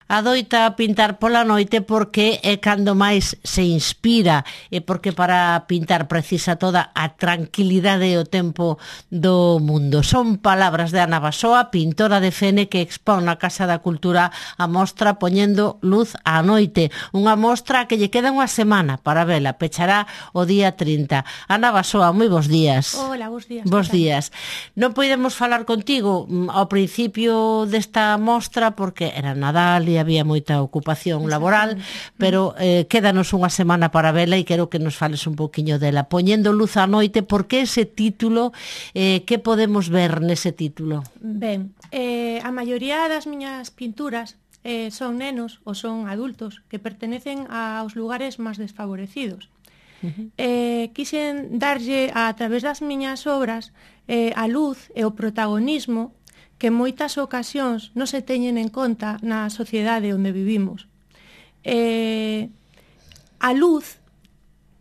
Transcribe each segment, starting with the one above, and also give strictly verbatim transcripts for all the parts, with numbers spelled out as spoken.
adoita pintar pola noite porque é cando máis se inspira e porque para pintar precisa toda a tranquilidade e o tempo do mundo. Son palabras de Ana Basoa, pintora de Fene, que expón na Casa da Cultura a mostra Poñendo luz á noite, unha mostra que lle queda unha semana para vela, pechará o día trinta. Ana Basoa, moi bons días. Hola, bons días. Bons días. Non podemos falar contigo ao principio desta mostra porque era Nadal e había moita ocupación laboral, pero eh, quédanos unha semana para vela e quero que nos fales un pouquiño dela. Poñendo luz á noite, por que ese título? Eh, que podemos ver nese título? Ben, eh, a maioría das miñas pinturas eh, son nenos ou son adultos que pertenecen aos lugares máis desfavorecidos. Uh-huh. Eh, quixen darlle a través das miñas obras eh, a luz e o protagonismo que en moitas ocasións non se teñen en conta na sociedade onde vivimos. Eh, a luz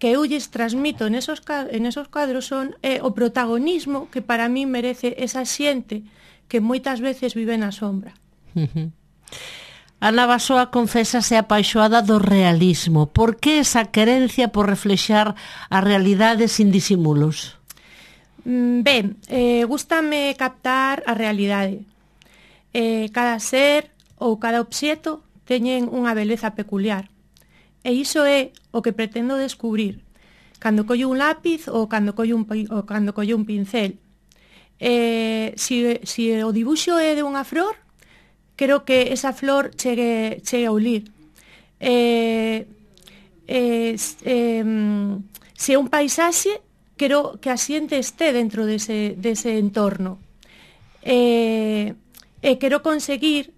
que eu lles transmito en esos, en esos cuadros son eh, o protagonismo que para mí merece esa xente que moitas veces vive na sombra. Uh-huh. Ana Basoa confésase apaixoada do realismo. Por que esa querencia por reflexar a realidade sin disimulos? Ben, eh, gústame captar a realidade. Eh, cada ser ou cada obxeto teñen unha beleza peculiar. E iso é o que pretendo descubrir cando collo un lápiz ou cando collo un, ou cando collo un pincel. Eh, si, si o dibuixo é de unha flor, quero que esa flor chegue, chegue a ulir. Eh, eh, eh, se é un paisaxe, quero que a xente este dentro dese, dese entorno. E, e quero conseguir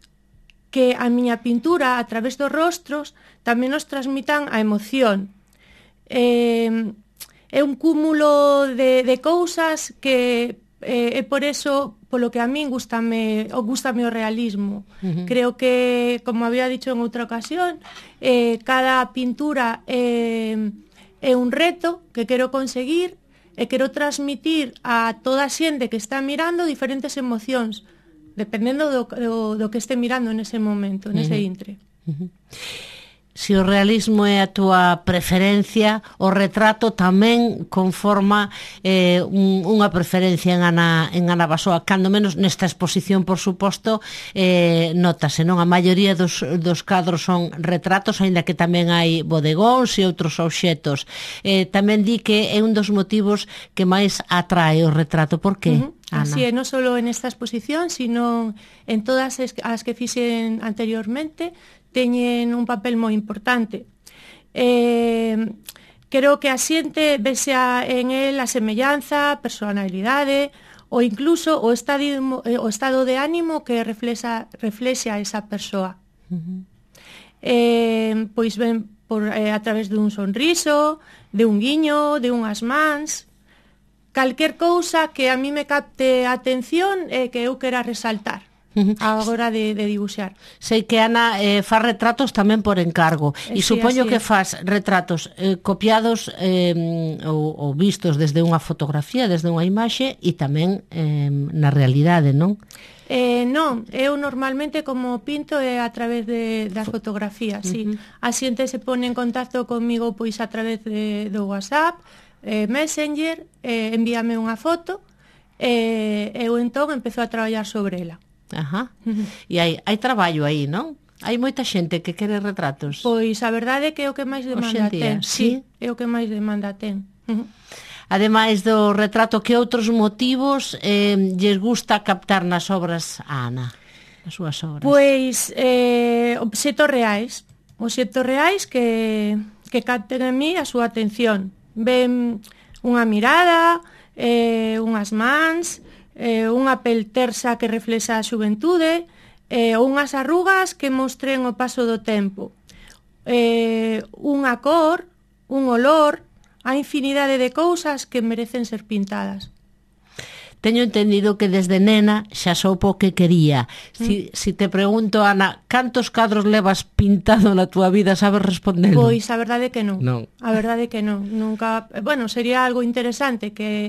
que a miña pintura, a través dos rostros, tamén nos transmitan a emoción. Eh, é un cúmulo de, de cousas que eh, é por eso polo que a min gustame, o gustame o realismo. Uh-huh. Creo que, como había dicho en outra ocasión, eh, cada pintura é, é un reto que quero conseguir e quero transmitir a toda a xente que está mirando diferentes emocións, dependendo do, do, do que este mirando nese momento, nese uh-huh. intre. Uh-huh. Se o realismo é a túa preferencia, o retrato tamén conforma eh, un, unha preferencia en Ana, en Ana Basoa, cando menos nesta exposición, por suposto, eh, notase, non? A maioría dos, dos cadros son retratos, aínda que tamén hai bodegóns e outros obxetos. Eh, tamén di que é un dos motivos que máis atrae o retrato. Por que? Uh-huh. Así é, non só en esta exposición, sino en todas as que fixen anteriormente, teñen un papel moi importante. Eh, creo que a xente vexea en el a semellanza, personalidade ou incluso o estado, o estado de ánimo que reflexa, reflexa esa persoa. Uh-huh. Eh, pois ben por, eh, a través dun sonriso, de un guiño, de unhas mans, calquer cousa que a mí me capte a atención e que eu quera resaltar a hora de, de dibuixar. Sei que Ana eh, faz retratos tamén por encargo e sí, supoño que faz retratos eh, copiados eh, ou, ou vistos desde unha fotografía, desde unha imaxe e tamén eh, na realidade, non? Eh, non, eu normalmente como pinto é a través de, das fotografías, sí. Uh-huh. A xente se pone en contacto comigo pois a través de, do WhatsApp, eh, Messenger, eh, envíame unha foto e eh, eu entón empezo a traballar sobre ela. Ajá. E hai, hai traballo aí, non? Hai moita xente que quere retratos. Pois a verdade é que é o que máis demanda ten. Sí, é o que máis demanda ten. Uh-huh. Ademais do retrato, que outros motivos eh, lles gusta captar nas obras a Ana? Nas súas obras. Pois eh, obxetos reais. Obxetos reais que, que capten en mí a súa atención. Ven unha mirada, eh, unhas mans, eh, unha pel tersa que reflexa a xuventude, eh, ou unhas arrugas que mostren o paso do tempo. Eh, unha cor, un olor, a infinidade de cousas que merecen ser pintadas. Teño entendido que desde nena xa soupo o que quería. Si, mm. si te pregunto, Ana, cantos cadros levas pintado na túa vida, sabes responder? Pois a verdade que non. non. A verdade que non. Nunca, bueno, sería algo interesante que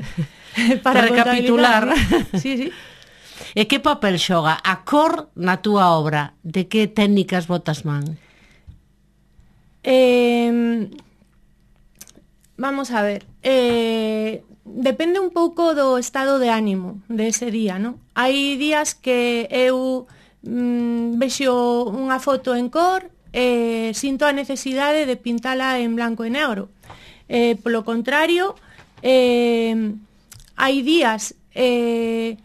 para recapitular. Sí, sí. E que papel xoga a cor na túa obra? De que técnicas botas man? Eh, vamos a ver, eh, depende un pouco do estado de ánimo de ese día, non? Hai días que eu mm, vexo unha foto en cor e eh, sinto a necesidade de pintala en blanco e negro. Eh, polo contrario, eh, hai días eh,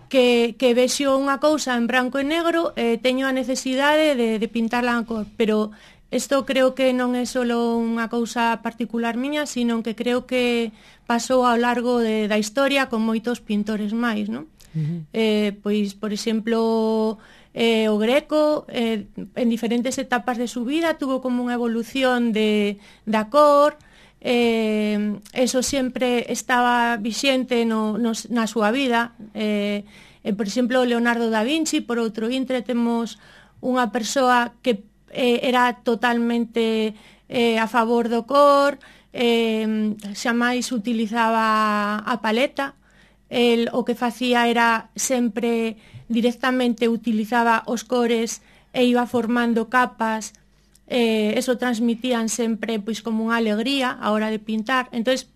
que, que vexo unha cousa en branco e negro e eh, teño a necesidade de, de pintarla en cor, pero isto creo que non é só unha cousa particular miña, sino que creo que pasou ao largo de, da historia con moitos pintores máis, non? Uh-huh. Eh, pois, por exemplo, eh, o Greco, eh, en diferentes etapas de su vida, tuvo como unha evolución de, da cor, eh, eso sempre estaba vixente no, no, na súa vida. Eh, eh, por exemplo, Leonardo da Vinci, por outro intre, temos unha persoa que eh, era totalmente eh, a favor do cor, eh, xa máis utilizaba a paleta. El, o que facía era sempre directamente utilizaba os cores e iba formando capas, eh, eso transmitían sempre pois como unha alegría a hora de pintar. Entonces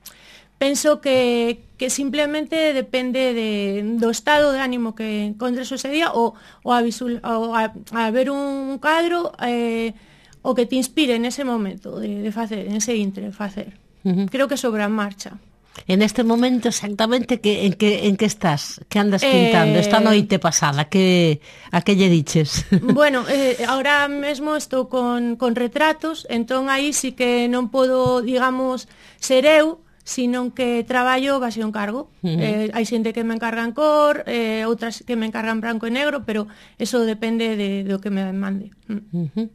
penso que, que simplemente depende de, do estado de ánimo que encontres ese día ou, ou, a, visual, ou a, a ver un cadro eh, o que te inspire nese momento de, de facer, en ese intre de facer. Uh-huh. Creo que sobre a marcha. En este momento exactamente que, en, que, en que estás? Que andas pintando? Eh... Esta noite pasada, que, a que lle diches? Bueno, eh, ahora mesmo estou con, con retratos, entón aí sí que non podo, digamos, ser eu, sino que traballo base un cargo. Uh-huh. Eh, hai xente que me encarga en cor, eh, outras que me encargan branco e negro, pero eso depende de, do que me mande. Uh-huh.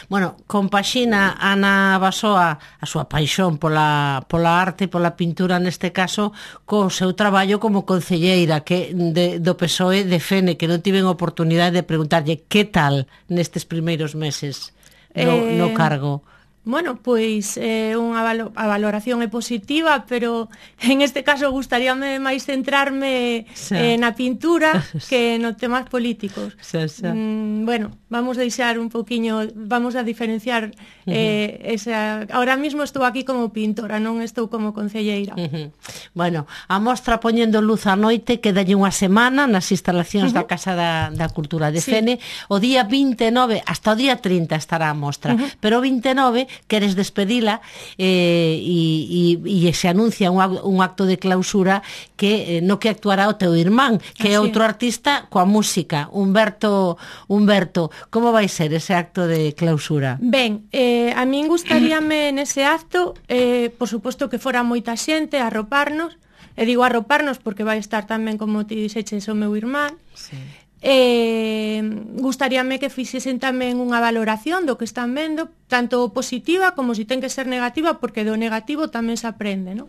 Bueno, compaxina Ana Basoa a súa paixón pola, pola arte, pola pintura neste caso, co seu traballo como concelleira que de, do P S O E de Fene, que non tiven oportunidade de preguntarlle que tal nestes primeiros meses no, eh... no cargo. Bueno, pois eh, unha valo, a valoración é positiva, pero en este caso gustaríame máis centrarme eh, na pintura que no temas políticos. Xa, xa. Mm, bueno, vamos a deixar un poquinho, vamos a diferenciar eh, uh-huh. esa... Ahora mismo estou aquí como pintora, non estou como concelleira. Uh-huh. Bueno, a mostra Poñendo Luz á Noite quedalle unha semana nas instalacións uh-huh. da Casa da, da Cultura de sí. Fene. O día vinte e nove, hasta o día trinta estará a mostra, uh-huh. pero o vinte e nove queres despedila eh, e, e, e se anuncia un, un acto de clausura que eh, no que actuará o teu irmán, que Así é outro artista coa música, Humberto Humberto. Como vai ser ese acto de clausura? Ben, eh, a min gustaríame nese acto, eh, por suposto que fora moita xente a arroparnos, e digo arroparnos porque vai estar tamén, como ti dixeches, o meu irmán. Sí. Eh, gustaríame que fixesen tamén unha valoración do que están vendo, tanto positiva como si ten que ser negativa, porque do negativo tamén se aprende, non?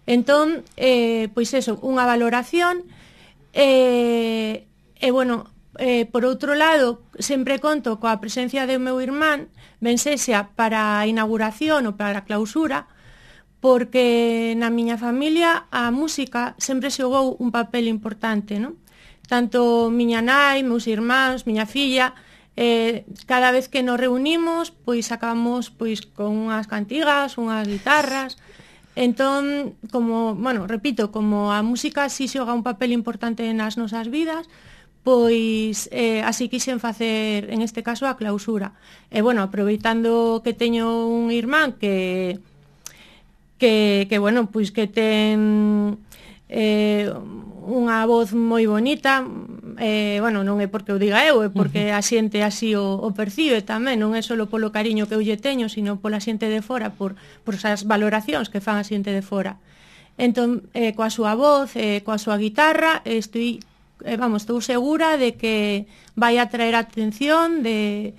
Entón, eh, pois eso, unha valoración e, eh, eh, bueno, eh, por outro lado, sempre conto coa presencia do meu irmán, ben sexa para a inauguración ou para a clausura, porque na miña familia a música sempre xogou un papel importante, non? Tanto miña nai, meus irmáns, miña filla, eh, cada vez que nos reunimos, pois acabamos pois con unhas cantigas, unhas guitarras. Entón, como, bueno, repito, como a música si xoga un papel importante nas nosas vidas, pois eh, así quixen facer, en este caso, a clausura. E, bueno, aproveitando que teño un irmán que, que, que bueno, pois que ten... Eh, unha voz moi bonita, eh, bueno, non é porque o diga eu, é porque a xente así o, o percibe tamén, non é só polo cariño que eu lle teño, sino pola xente de fora, por, por esas valoracións que fan a xente de fora. Entón, eh, coa súa voz, eh, coa súa guitarra, estoy, eh, vamos, estou segura de que vai atraer a atención de,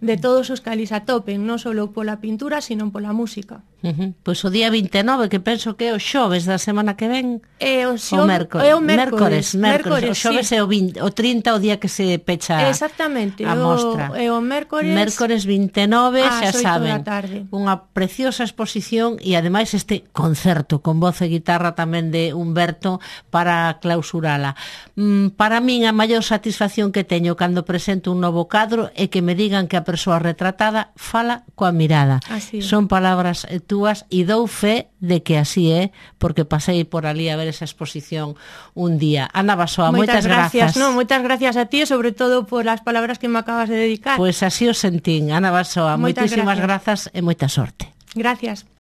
de todos os que ali se atopen, non só pola pintura, sino pola música. Uh -huh. Pois o día vinte e nove, que penso que é o xoves da semana que ven, é o, xo... o mércores, é o mércores, mércores, mércores, o xoves sí. é o, vinte, o trinta, o día que se pecha exactamente, a mostra. É o mércores, mércores vinte e nove, xa saben, tarde. Unha preciosa exposición e ademais este concerto con voz e guitarra tamén de Humberto para clausurala. Mm, para min a maior satisfacción que teño cando presento un novo cadro é que me digan que a persoa retratada fala coa mirada. Así. Son palabras túas e dou fe de que así é, porque pasei por ali a ver esa exposición un día. Ana Basoa, moitas, moitas gracias. grazas. No, moitas gracias a ti, sobre todo por as palabras que me acabas de dedicar. Pois así o sentín. Ana Basoa, moitas moitísimas grazas grazas e moita sorte. Gracias.